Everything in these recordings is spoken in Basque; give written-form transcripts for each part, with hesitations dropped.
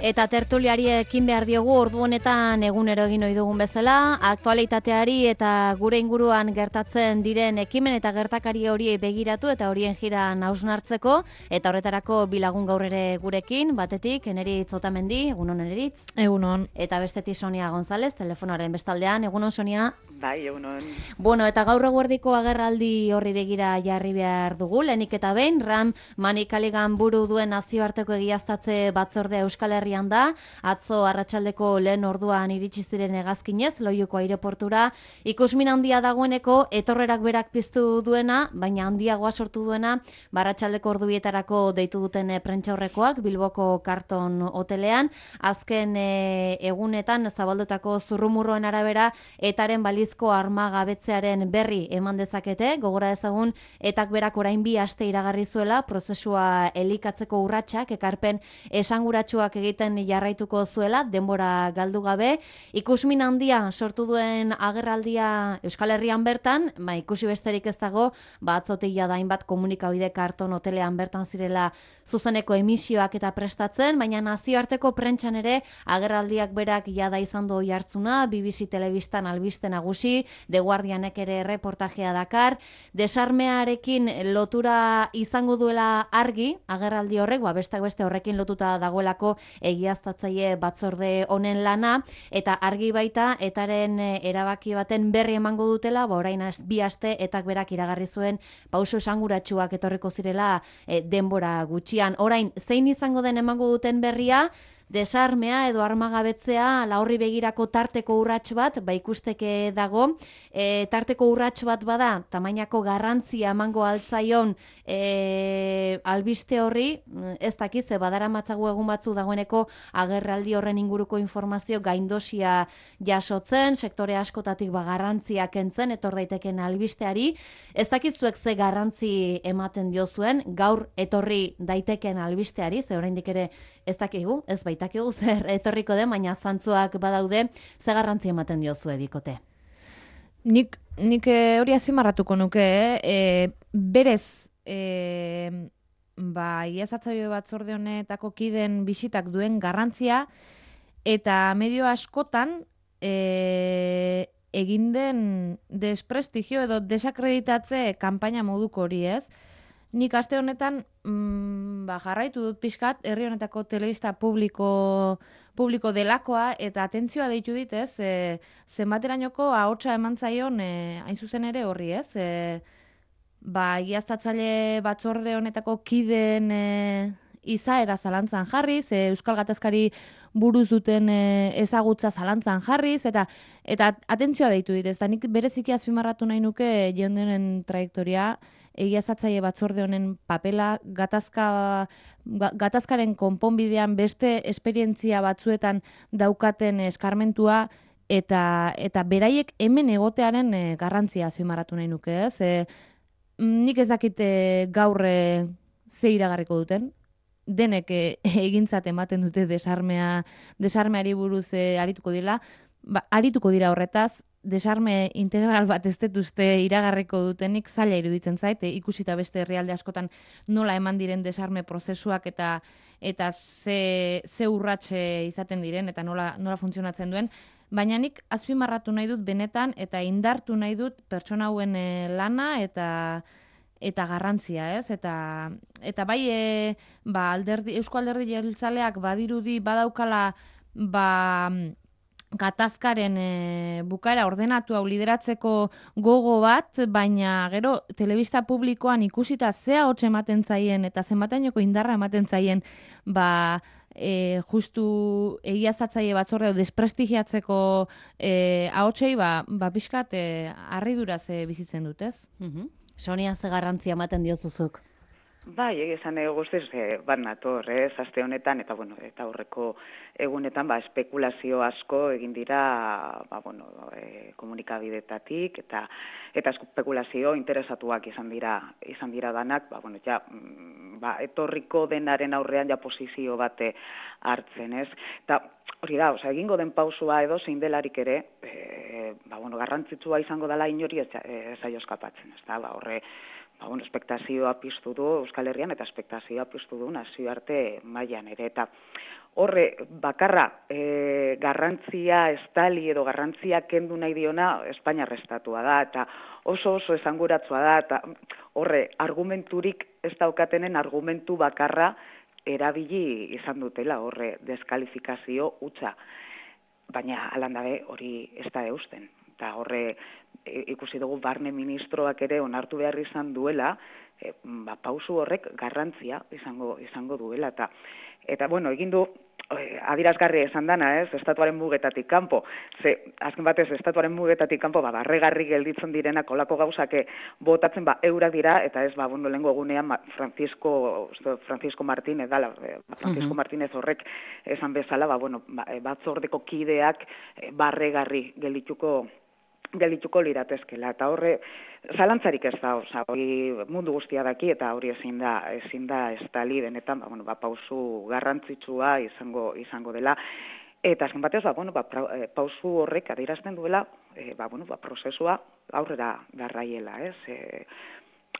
Eta tertuliari ekin behar diogu ordu honetan egunero egin ohi dugun bezala, aktualitateari eta gure inguruan gertatzen diren ekimen eta gertakari horiei begiratu eta horien jiran hausnartzeko, eta horretarako bilagun gaur ere gurekin, batetik, Eneritz Otamendi, egunon Eneritz. Egunon. Eta bestetik Sonia González, telefonoaren bestaldean, egunon Sonia. Bai, egunon. Bueno, eta gaur eguerdiko agerraldi horri begira jarri behar dugu, lehenik eta behin, Ram Manikaligan buru duen nazioarteko egiaztatze batzordea Euskal Herrian da, atzo arratsaldeko lehen orduan iritsi ziren hegazkinez, Loiuko aireportura, ikusmin handia dagoeneko, etorrerak berak piztu duena, baina handiagoa sortu duena, arratsaldeko ordubietarako deitu duten prentsaurrekoak, Bilboko Karton hotelean, azken egunetan zabaldutako zurrumurroen arabera, etaren balizko armagabetzearen berri eman dezakete, gogora ezagun etak berak orain 2 aste iragarri zuela prozesua elikatzeko urratsak ekarpen esanguratsuak egiten jarraituko zuela denbora galdu gabe. Ikusmin handia sortu duen agerraldia Euskal Herrian bertan, ikusi besterik ez dago, atzotik jada hainbat komunikabide Karton hotelean bertan zirela zuzeneko emisioak eta prestatzen, baina nazioarteko prentsan ere agerraldiak berak jada izan du oihartzuna, BBC telebistan albiste nagusi, The Guardianek ere reportajea dakar, desarmearekin lotura izango duela argi, agerraldi horrek, besteak beste horrekin lotuta dagoelako egiaztatzaile batzorde honen lana, eta argi baita, etaren erabaki baten berri emango dutela, orain 2 aste etak berak iragarri zuen pauso esanguratsuak etorriko zirela denbora gutxian. Orain, zein izango den emango duten berria, desarmea edo armagabetzea horri begirako tarteko urrats bat, ikusteke dago, tarteko urrats bat bada, tamainako garrantzia emango altzaion albiste horri, ez dakiz, badaramatzagu egun batzu dagoeneko agerraldi horren inguruko informazio gaindosia jasotzen, sektore askotatik garrantzia kentzen, etor daiteken albisteari, ez dakitzuek ze garrantzi ematen diozuen, gaur etorri daiteken albisteari, ze oraindik ere ez dakigu, ez baitakigu zer etorriko den, baina zantzuak badaude, ze garrantzi ematen diozue bikote? Nik hori azpimarratuko nuke, berez, egiaztatzaile batzorde honetako kideen bisitak duen garrantzia, eta medio askotan egin den desprestigio edo desakreditatze kanpaina moduko hori, ez? Nik aste honetan jarraitu dut pixkat, herri honetako telebista publiko delakoa, eta atentzioa deitu dit, ez? Zenbaterainoko ahotsa eman zaion hain zuzen ere horri, ez? Egiaztatzaile batzorde honetako kideen izaera zalantzan jarriz, Euskal Gatazkari buruz duten ezagutza zalantzan jarriz, eta atentzioa deitu dit, ez da nik bereziki azpimarratu nahi nuke jendenen trajektoria, egiaztatzaile batzorde honen papela, gatazkaren konponbidean beste esperientzia batzuetan daukaten eskarmentua, eta beraiek hemen egotearen garrantzia azpimarratu nahi nuke, ez? Nik ez dakit gaur ze iragarriko duten, denek egintzat ematen dute desarmeari buruz arituko dira, arituko dira horretaz, desarme integral bat ez dut uste iragarriko dutenik zaila iruditzen zait, ikusita beste herrialde askotan nola eman diren desarme prozesuak eta ze urratxe izaten diren eta nola funtzionatzen duen, baina nik azpimarratu nahi dut benetan eta indartu nahi dut pertsona hauen lana eta garrantzia, ez? Eta bai, Eusko Alderdi Jeltzaleak badirudi badaukala gatazkaren bukaera ordenatu hau lideratzeko gogo bat, baina gero telebista publikoan ikusita ze ahots ematen zaien eta zenbatainoko indarra ematen zaien justu egiaztatzaile batzorde desprestigiatzeko ahotsei pixkat harriduraz bizitzen dut, ez? Sonia, ze garrantzia ematen diozuzuk? Bai, esan guztiz bat nator, aste honetan, eta aurreko egunetan espekulazio asko egin dira komunikabidetatik, eta espekulazio interesatuak izan dira danak, etorriko denaren aurrean posizio bate hartzen, ez? Eta hori da, egingo den pausua edo zein delarik ere, garrantzitsua izango dela inori ez zaio eskapatzen, ez da, horre, espektazioa piztu du Euskal Herrian eta espektazioa piztu du nazioarte mailan ere, eta horre bakarra garrantzia estali edo garrantzia kendu nahi diona Espainiar estatua da, eta oso esanguratsua da, eta horre argumenturik ez daukatenen argumentu bakarra erabili izan dutela, horre deskalifikazio hutsa. Baina alandabe hori ez da eusten. Eta horre ikusi dugu barne ministroak ere onartu behar izan duela, pausu horrek garrantzia izango duela. Eta bueno, egin du adierazgarria esan dana, estatuaren mugetatik kanpo. Azken batez, estatuaren mugetatik kanpo, barregarri gelditzen direnak olako gauzak botatzen eurak dira, eta ez, lehengo egunean Francisco Martínez dala, Francisco Martínez horrek esan bezala, batzordeko kideak barregarri geldituko liratezkela, eta horre zalantzarik ez da, hori mundu guztia daki, eta hori ezin da estali benetan, pausu garrantzitsua izango dela, eta azken batez, pausu horrek adierazten duela, prozesua aurrera garraiela,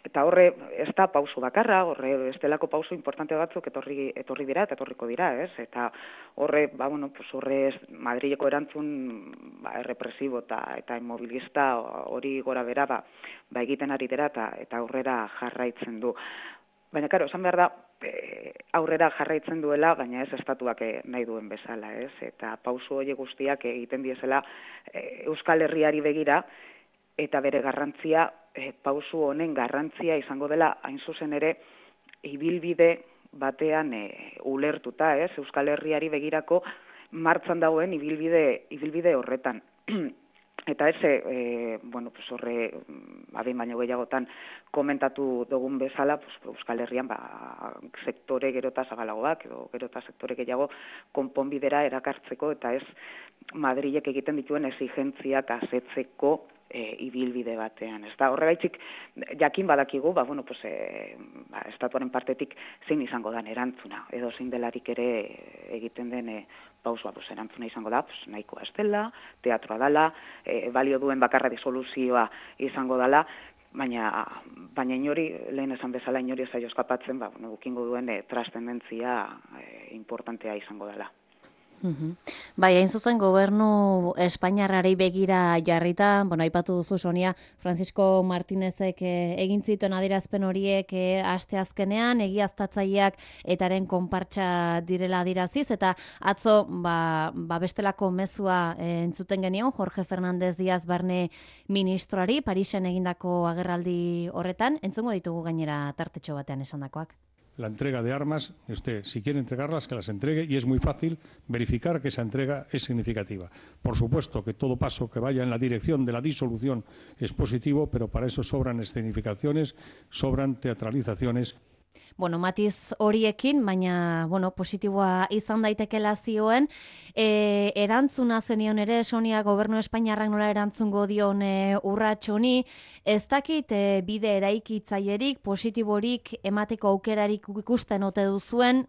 Eta horre, ez da pausu bakarra, horre, ez delako pausu importante batzuk etorri dira eta etorriko dira, Eta horre, horre Madrileko erantzun errepresibo eta inmobilista hori gora bera egiten ari dira eta aurrera jarraitzen du. Baina, karo, esan behar da, aurrera jarraitzen duela, baina ez estatuak nahi duen bezala, Eta pausu hori guztiak egiten diezela Euskal Herriari begira, eta bere garrantzia, pausu honen garrantzia izango dela, hain zuzen ere, ibilbide batean ulertuta, Euskal Herriari begirako martxan dagoen ibilbide horretan. Eta horre, adin baino gehiagotan komentatu dugun bezala, Euskal Herrian sektore gerota zabalagoak, edo gerota sektore gehiago konponbidera erakartzeko, eta ez Madrilek egiten dituen exigentziak asetzeko ibilbide batean. Horregaitzik jakin badakigu, estatuaren partetik zein izango dan erantzuna, edo zein delarik ere egiten den pausua, erantzuna izango da, nahikoa ez dela, teatroa dela, balio duen bakarra disoluzioa izango dela, baina inori, lehen esan bezala inori ez zaio eskapatzen, gukingo duen trascendentzia importantea izango dela. Bai, hain zuzen gobernu Espainiarrari begira jarrita, aipatu duzu Sonia, Francisco Martínezek egin zituen adierazpen horiek asteazkenean, egiaztatzaileak etaren konpartsa direla adieraziz, eta atzo bestelako mezua entzuten genion Jorge Fernández Díaz barne ministroari, Parisen egindako agerraldi horretan, entzungo ditugu gainera tartetxo batean esandakoak. La entrega de armas, si quiere entregarlas, que las entregue, y es muy fácil verificar que esa entrega es significativa. Por supuesto que todo paso que vaya en la dirección de la disolución es positivo, pero para eso sobran escenificaciones, sobran teatralizaciones. Matiz horiekin, baina, positiboa izan daitekela zioen, erantzuna zenion ere, Sonia, gobernu Espainiarrak nola erantzungo dion urrats honi, ez dakit bide eraikitzaierik, positiborik, emateko aukerarik ikusten ote duzuen,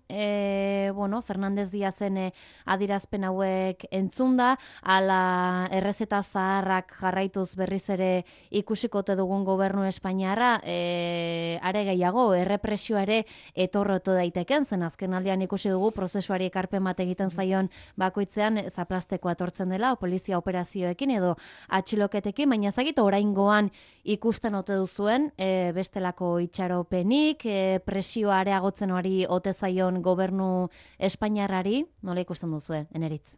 Fernández Díazen adirazpen hauek entzunda, ala errezeta zaharrak jarraituz berriz ere ikusiko ote dugun gobernu Espainiarra, are gehiago, errepresio ere etorrotu daiteken, zen azken aldean ikusi dugu prozesuari ekarpen bat egiten zaion bakoitzean zaplasteko atortzen dela, polizia operazioekin edo atxiloketekin, baina ezagite oraingoan ikusten ote duzuen bestelako itxaropenik, presioa areagotzen hori ote zaion gobernu Espainiarrari, nola ikusten duzue, Eneritz?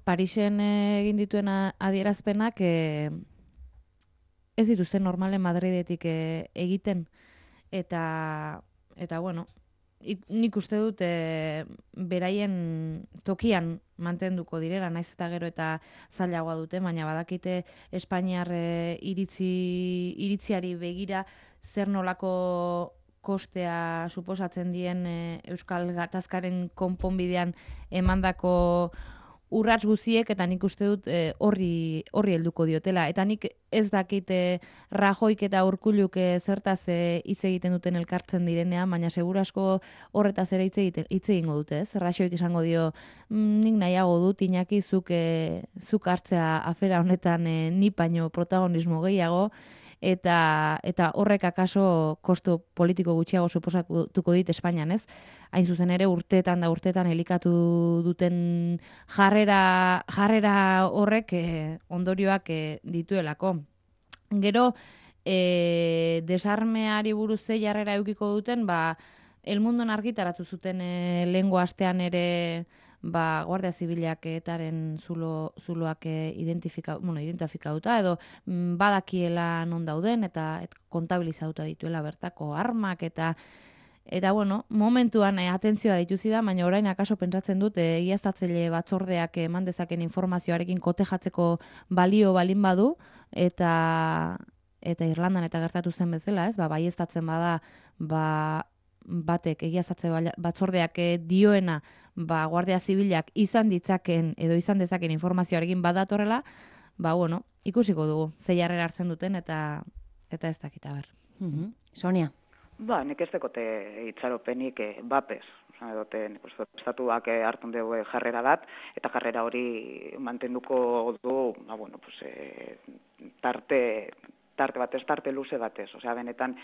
Parisen egin dituen adierazpenak ez dituzten normalen Madridetik egiten, eta nik uste dut beraien tokian mantenduko direla, naiz eta gero eta zailagoa dute, baina badakite Espainiar iritziari begira zer nolako kostea suposatzen dien Euskal Gatazkaren konponbidean emandako urrats guziek, eta nik uste dut horri helduko diotela. Eta nik ez dakit Rajoik eta Urkulluk zertaz hitz egiten duten elkartzen direnean, baina seguru asko horretaz ere hitz egingo dute, ez? Rajoik esango dio, nik nahiago dut, Iñaki, zuk hartzea afera honetan ni baino protagonismo gehiago, eta horrek akaso kostu politiko gutxiago suposatuko dit Espainian, ez? Hain zuzen ere urteetan elikatu duten jarrera horrek ondorioak dituelako. Gero, desarmeari buruz ze jarrera edukiko duten, El Mundon argitaratu zuten lehengo astean ere Guardia Zibilak etaren zuloak identifikatuta edo badakiela non dauden eta kontabilizatuta dituela bertako armak eta bueno, momentuan atentzioa dituzida, baina orain akaso pentsatzen dut egiaztatzaile batzordeak eman dezaken informazioarekin kotejatzeko balio balin badu eta Irlandan eta gertatu zen bezala, ez? Baieztatzen bada batek egiaztatze batzordeak dioena Guardia Zibilak izan dezaken informazioarekin badatorrela, bueno, ikusiko dugu ze jarrera hartzen duten eta ez dakit ber. Sonia. Nik ez dekote itxaropenik bapez. Estatuak hartun dugu jarrera bat, eta jarrera hori mantenduko du, tarte luze batez. Benetan,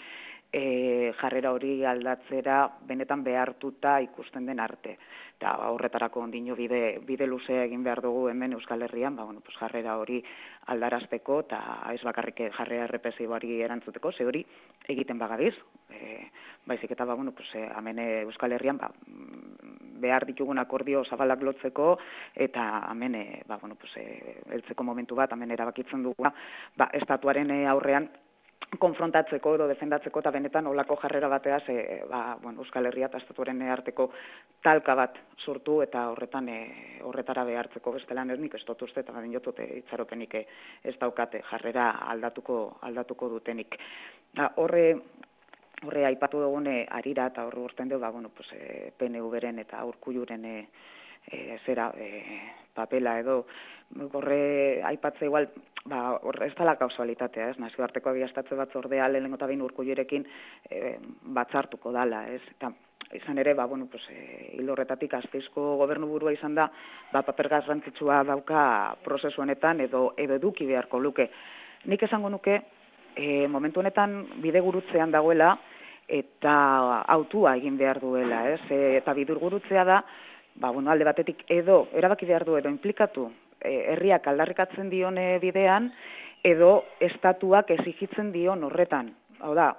jarrera hori aldatzera benetan behartuta ikusten den arte. Eta horretarako ondino bide luzea egin behar dugu hemen Euskal Herrian, jarrera hori aldarazteko eta ez bakarrik jarrera represiboari erantzuteko, ze hori egiten bagabiz. Baizik eta hemen Euskal Herrian behar ditugun akordio zabalak lotzeko eta hemen heltzeko momentu bat hemen erabakitzen dugu estatuaren aurrean konfrontatzeko edo defendatzeko eta benetan olako jarrera bateaz Euskal Herria eta estatuaren arteko talka bat sortu eta horretara behartzeko bestelan nik ez dut uste eta badin jotute itxaropenik ez daukate jarrera aldatuko dutenik. Horre aipatu dugune arira eta horre urten dugu PNV-ren eta Urkulluren papela edo horre aipatze igual ez dela kausalitatea, ez? Nazioarteko egiaztatze batzordea lehenengo eta behin Urkullurekin batzartuko dala, ez? Eta izan ere, hil horretatik Gasteizko gobernuburua izan da, paper garrantzitsua dauka prozesu honetan edo eduki beharko luke. Nik esango nuke, momentu honetan bidegurutzean dagoela eta autua egin behar duela, ez? Eta bidurgurutzea da, alde batetik edo erabaki behar du edo implikatu herriak aldarrikatzen dion bidean edo estatuak exigitzen dion horretan. Hau da,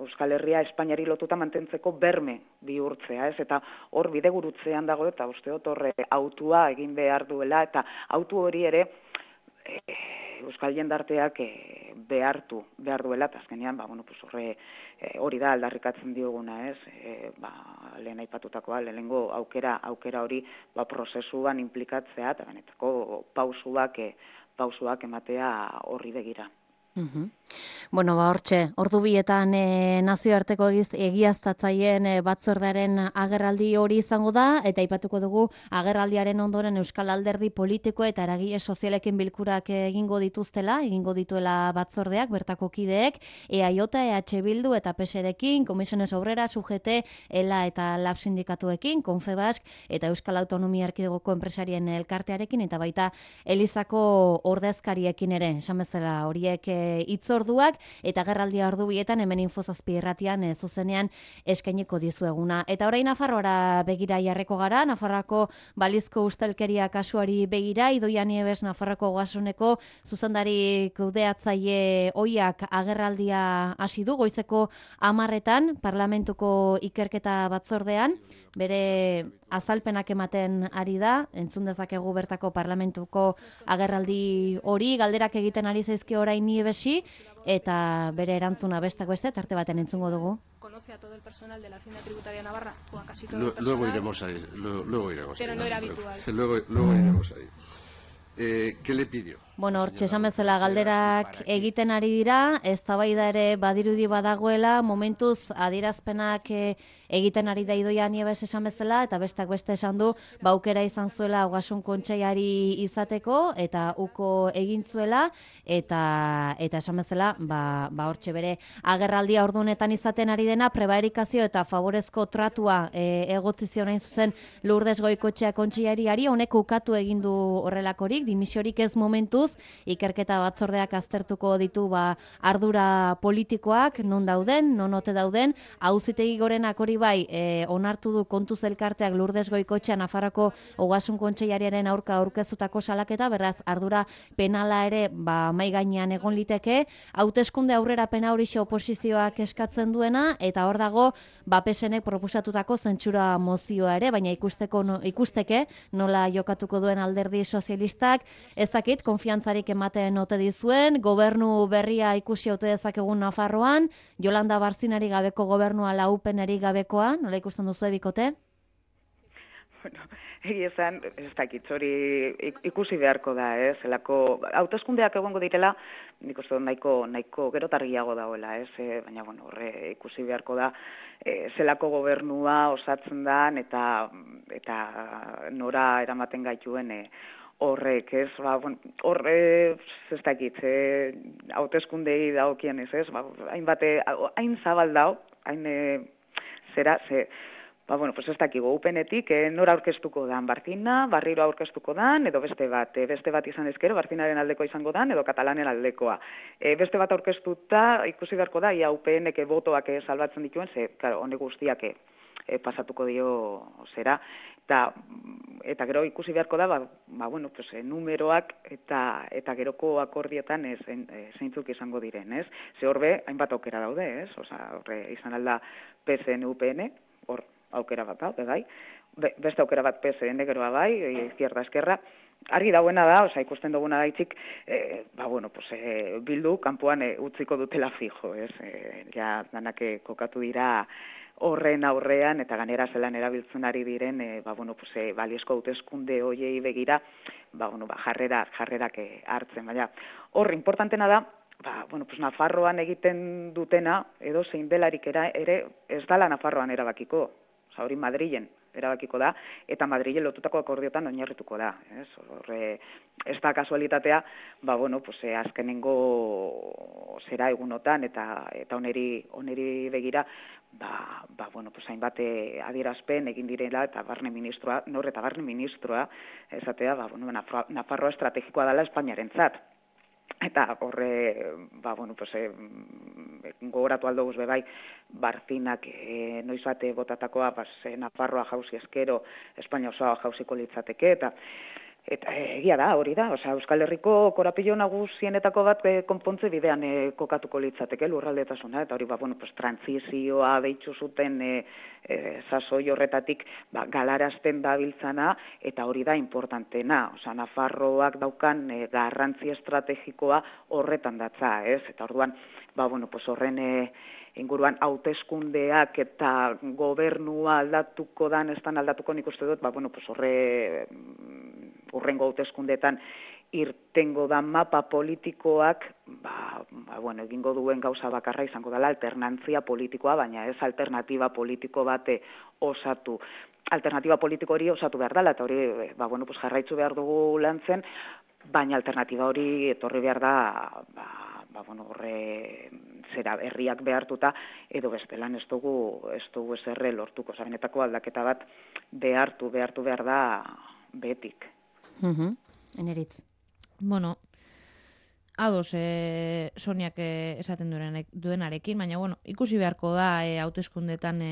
Euskal Herria Espainiari lotuta mantentzeko berme bihurtzea, ez? Eta hor bidegurutzean dago eta uste dut horre autua egin behar duela eta autu hori ere Euskal jendarteak behartu behar duela, eta azkenean, hori da aldarrikatzen dioguna, ez? Lehen aipatutakoa, lehenengo aukera hori prozesuan implikatzea, eta benetako pausuak ematea horri begira. Hortxe, ordu bietan nazioarteko egiaztatzaileen batzordearen agerraldi hori izango da, eta aipatuko dugu agerraldiaren ondoren Euskal Alderdi politiko eta eragile sozialekin bilkurak egingo dituela batzordeak, bertako kideek, EAJ, EH Bildu eta PSerekin, Komisiones Obreras, UGT, ELA eta LAB sindikatuekin, Confebask eta Euskal Autonomia Erkidegoko enpresarien elkartearekin, eta baita Elizako ordezkariekin ere, esan bezala horiek hitzorduak, eta agerraldia ordu bietan hemen Infozazpi irratian zuzenean eskainiko dizueguna. Eta orain Nafarroara begira jarreko gara, Nafarroako balizko ustelkeria kasuari begira, Idoia Nieves Nafarroako Ogasuneko zuzendari kudeatzaile ohiak agerraldia hasi du goizeko 10:00 Parlamentuko ikerketa batzordean, bere azalpenak ematen ari da, entzun dezakegu bertako Parlamentuko agerraldi hori, galderak egiten ari zaizkio orain Nievesi, eta bere erantzuna besteak beste, tarte baten entzungo dugu. ¿Conoce a todo el personal de la Hacienda Tributaria Navarra? O a casi todo el personal. Luego iremos ahí. Pero no era habitual. Luego iremos ahí. ¿Qué le pidió? Hortxe esan bezala galderak egiten ari dira, eztabaida ere badirudi badagoela, momentuz adierazpenak egiten ari da Idoia Nieves esan bezala, eta besteak beste esan du, aukera izan zuela Ogasun Kontseiari izateko, eta uko egin zuela, eta esan bezala, hortxe bere agerraldia ordunetan izaten ari dena, prebarikazio eta favorezko tratua egotzi zion hain zuzen Lourdes Goikoetxea Kontseiariari, honek ukatu egin du horrelakorik, dimisiorik ez momentuz, buruz, ikerketa batzordeak aztertuko ditu ardura politikoak, non dauden, non ote dauden, Auzitegi Gorenak hori bai, onartu du Kontuz elkarteak Lourdes Goikotxea Nafarroako Ogasun Kontseilariaren aurka aurkeztutako salaketa, beraz ardura penala ere mai gainean egon liteke, hauteskunde aurrerapena horixe oposizioak eskatzen duena, eta hor dago PSNek proposatutako zentsura mozioa ere, baina ikusteke nola jokatuko duen Alderdi Sozialistak, ez dakit, konfiantzarik ematen ote dizuen, gobernu berria ikusi ote dezakegun Nafarroan, Jolanda Barzinari gabeko gobernua laupenari gabekoa, nola ikusten duzu bikote? Bueno, egia esan, ez dakit, hori ikusi beharko da, zelako, hauteskundeak egongo direla, nik uste nahiko gerotargiago dagoela, baina, bueno, horre ikusi beharko da, zelako gobernua osatzen dan, eta nora eramaten gaituen horrek, horre, ez dakit, hauteskundei dagokienez, hain zabal dao, hain zera, pues ez dakigu, upenetik nora aurkeztuko dan, Barcina, Barriro aurkeztuko dan, edo beste bat izan ezkero, Barcinaren aldeko izango dan, edo Katalanen aldekoa. Beste bat aurkeztuta, ikusi beharko da, ia UPNek botoak salbatzen dituen, claro, honek guztiak pasatuko dio zera, eta gero ikusi beharko da, numeroak eta geroko akordietan zeintzuk izango diren, ez? Ze horbe, hainbat aukera daude, ez? Horre izan alda PSN, UPN, hor aukera bat, bai, beste aukera bat PSN geroa bai, izquierda eskerra, argi dauena da, ikusten duguna gaitzik, Bildu kanpoan utziko dutela fijo, ez? Ja, danak kokatu dira horren aurrean, eta ganera zelan erabiltzen ari diren, baliozko hauteskunde hoiei begira, jarrerak hartzen, baina. Hor, importantena da, Nafarroan egiten dutena, edo zein delarik ere, ez dala Nafarroan erabakiko. Hori Madrilen erabakiko da, eta Madrilen lotutako akordiotan oinarrituko da. Ez da kasualitatea, azkenengo zera egunotan, eta oneri begira, hainbat adierazpen egin direla, eta barne ministroa, esatea, Nafarroa estrategikoa dela Espainiarentzat. Eta horre, gogoratu aldo guzbe bai, Barcinak noiz bate botatakoa, Nafarroa jauzi eskero, Espainia osoa jauziko litzateke, eta egia da, hori da, Euskal Herriko korapilo nagusienetako bat konpontze bidean kokatuko litzateke lurraldetasuna, eta hori, trantzizioa deitzu zuten sasoi horretatik galarazten dabiltzana, eta hori da importantena, Nafarroak daukan garrantzi estrategikoa horretan datza, ez? Eta orduan, horren inguruan hauteskundeak eta gobernua aldatuko dan, ez dan aldatuko nik uste dut, urrengo hauteskundeetan irtengo da mapa politikoak, egingo duen gauza bakarra izango dela alternantzia politikoa, baina ez alternatiba politiko bate osatu. Alternatiba politiko hori osatu behar dela, eta hori, jarraitzu behar dugu lantzen, baina alternatiba hori etorri behar da, horre zera herriak behartuta, edo bestelan ez dugu eserre lortuko. Benetako aldaketa bat behartu behar da betik. Eneritz. Bueno, ados Soniak esaten duenarekin, baina ikusi beharko da hauteskundetan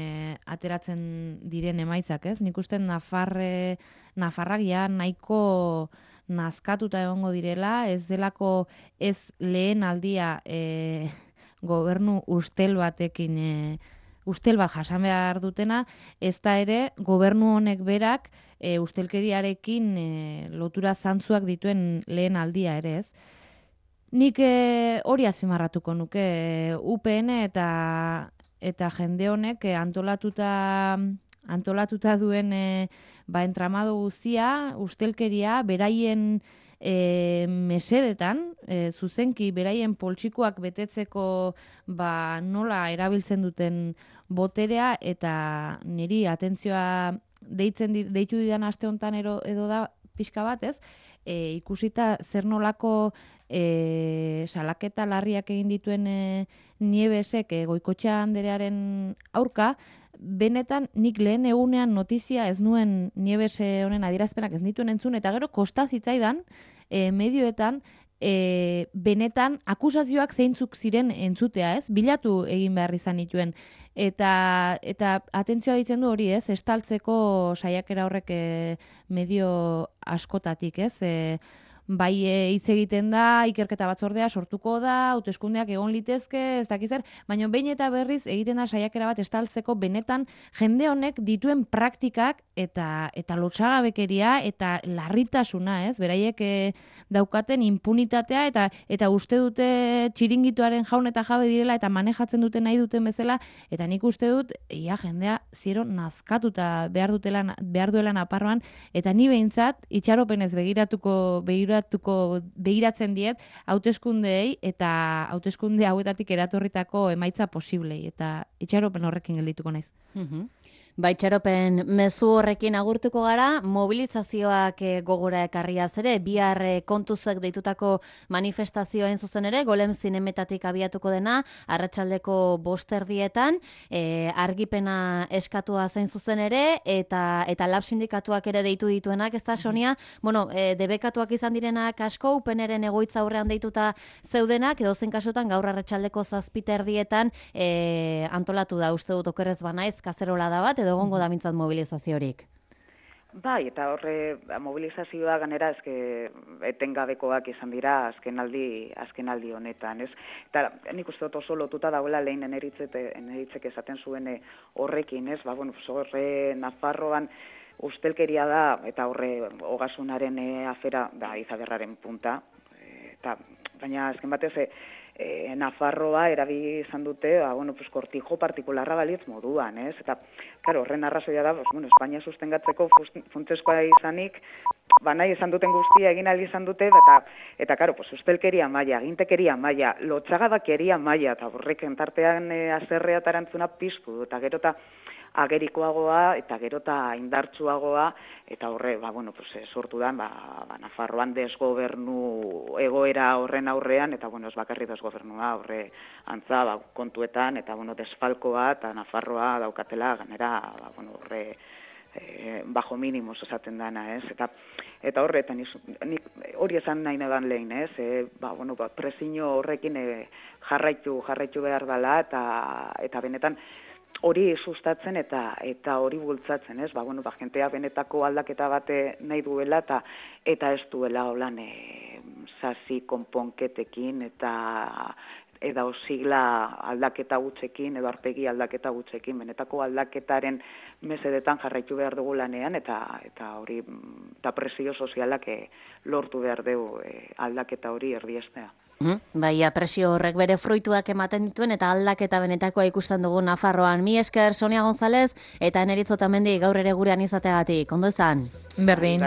ateratzen diren emaitzak, ez? Nik uste Nafarrak ja nahiko nazkatuta egongo direla, ez delako ez lehen aldia gobernu ustel batekin ustel bat jasan behar dutena, ez da ere gobernu honek berak ustelkeriarekin lotura zantzuak dituen lehen aldia ere, ez? Nik hori azpimarratuko nuke UPN eta jende honek antolatuta duen entramado guztia, ustelkeria, beraien mesedetan, zuzenki beraien poltsikoak betetzeko nola erabiltzen duten boterea, eta niri atentzioa deitu didan aste honetan edo da pixka bat, ez? Ikusita zer nolako salaketa larriak egin dituen Nievesek Goikotxea anderearen aurka, benetan nik lehen egunean notizia ez nuen Nieves honen adierazpenak ez nituen entzun, eta gero kosta zitzaidan medioetan benetan akusazioak zeintzuk ziren entzutea, ez? Bilatu egin behar izan dituen. Eta atentzioa ditzen du hori, ez? Estaltzeko saiakera horrek medio askotatik, ez? Bai hitz egiten da, ikerketa batzordea sortuko da, hauteskundeak egon litezke, ez dakiz zer, baina behin eta berriz egiten da saiakera bat estaltzeko benetan jende honek dituen praktikak eta lotsagabekeria eta larritasuna, ez? Beraiek daukaten impunitatea eta uste dute txiringituaren jaun eta jabe direla eta manejatzen dute nahi duten bezala, eta nik uste dut ia jendea ziero nazkatuta behar duela Nafarroan, eta ni behintzat itxaropenez begiratzen diet hauteskundeei eta hauteskunde hauetatik eratorritako emaitza posiblei, eta itxaropen horrekin geldituko naiz. Baitxaropen mezu horrekin agurtuko gara, mobilizazioak gogora ekarriaz ere, bihar kontuzek deitutako manifestazioen zuzen ere, Golem Zinemetatik abiatuko dena, arratsaldeko 5:00 argipena eskatua zein zuzen ere, eta lab sindikatuak ere deitu dituenak, ez da, Sonia? Bueno, debekatuak izan direnak asko, UPNren egoitza aurrean deituta zeudenak, edo zen kasutan gaur arratsaldeko 7:00 antolatu da, uste dut okerrez banaiz, kazerola da bat, edo egongo da mintzat mobilizaziorik. Bai, eta horre mobilizazioa ganera etengabekoak izan dira azkenaldi honetan, ez? Eta nik uste dut oso lotuta dagoela lehen eneritzek esaten zuen horrekin, ez? Horre Nafarroan ustelkeria da, eta horre Ogasunaren afera da Izagerraren punta, baina azken batez Nafarroa erabi izan dute, kortijo partikularra balitz moduan, ez? Eta, horren arrazoia da, Espainia sustengatzeko funtsezkoa izanik, nahi izan duten guztia egin ahal izan dute, eta ustelkeria maila, agintekeria maila, lotsagabekeria maila, eta horrek entartean azerrea tarantzuna piztu, eta gero eta agerikoagoa eta gero eta indartsuagoa, eta horre, sortu da, Nafarroan desgobernu egoera horren aurrean, eta ez bakarri desgobernua horre antza kontuetan, eta desfalkoa, eta Nafarroa daukatela ganera, horre bajo mínimos esaten dana, ez? Eta horretan, hori esan nahi nedan lehen, ez? Presiño horrekin jarraitu behar dela, eta benetan, hori sustatzen eta hori bultzatzen, ez? Jentea benetako aldaketa bate nahi duela eta ez duela holan sasi konponketekin eta osigla aldaketa gutxekin edo arpegi aldaketa gutxekin, benetako aldaketaren mesedetan jarraitu behar dugu lanean eta hori eta presio sozialak lortu behar dugu aldaketa hori erdiestea. Baina presio horrek bere fruituak ematen dituen eta aldaketa benetakoa ikusten dugu Nafarroan. Mi esker Sonia González eta Eneritz Otamendi gaur ere gurean izateagatik. Ondo izan? Berdin.